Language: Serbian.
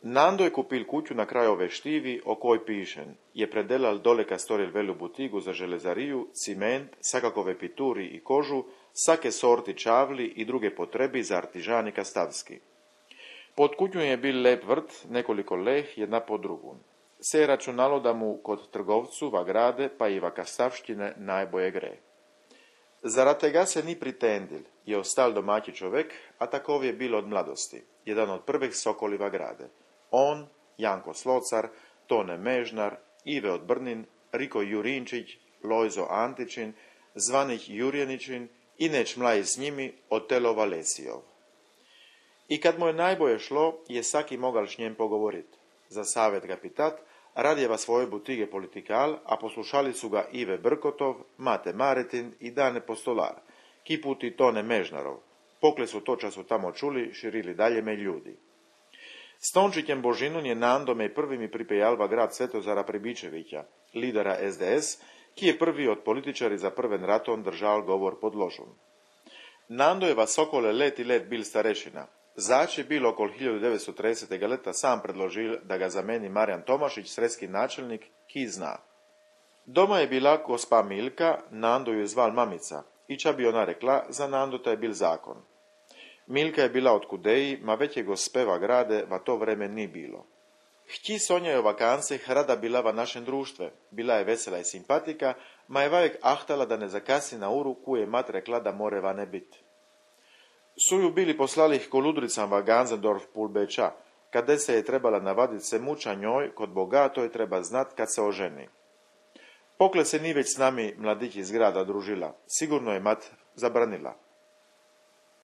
Nando je kupil kuću na kraju ove štivi, o koj pišen. Je predelal doleka storil velu butigu za železariju, ciment, sakakove pituri i kožu, sake sorti čavli i druge potrebi za artižanika stavski. Pod kuću je bil lep vrt, nekoliko leh, jedna po drugu. Se je računalo da mu kod trgovcu va grade, pa i va kastavštine najboje gre. Zarad tega se ni pritendil, je ostal domaći čovek, a takov je bil od mladosti, jedan od prvih sokoli va grade. On, Janko Slocar, Tone Mežnar, Ive od Brnin, Riko Jurinčić, Lojzo Antičin, zvanih Jurjeničin i neć mlaj s njimi Otelo Valesijov. I kad mu je najboje šlo, je saki mogal s njem pogovorit. Za savjet ga pitat, radjeva svoje butige politikal, a poslušali su ga Ive Brkotov, Mate Maretin i Dane Postolar, ki puti Tone Mežnarov. Pokle su to času tamo čuli, širili dalje me ljudi. S Tončićem Božinun je Nandome prvimi pripejal va grad Svetozara Pribičevića, lidera SDS, ki je prvi od političari za prven raton držal govor pod ložom. Nando je va sokole let i let bil starešina. Zač je bil okol 1930. leta sam predložil da ga zameni Marjan Tomašić, sredski načelnik, ki zna. Doma je bila gospa Milka, Nando ju je zval mamica, i ča bi ona rekla, za Nando ta je bil zakon. Milka je bila od Kudeji, ma veće gospeva grade va to vreme ni bilo. Htji Sonja je o vakancih rada bila va našem društve, bila je vesela i simpatika, ma je vajek ahtala da ne zakasi na uru koju je mat rekla da more va ne bit. Su ju bili poslali ih koludricam va Ganzendorf pulbeča, kade se je trebala navadit se muča njoj, kod bogatoj treba znat kad se oženi. Pokle se ni već s nami mladić iz grada družila, sigurno je mat zabranila.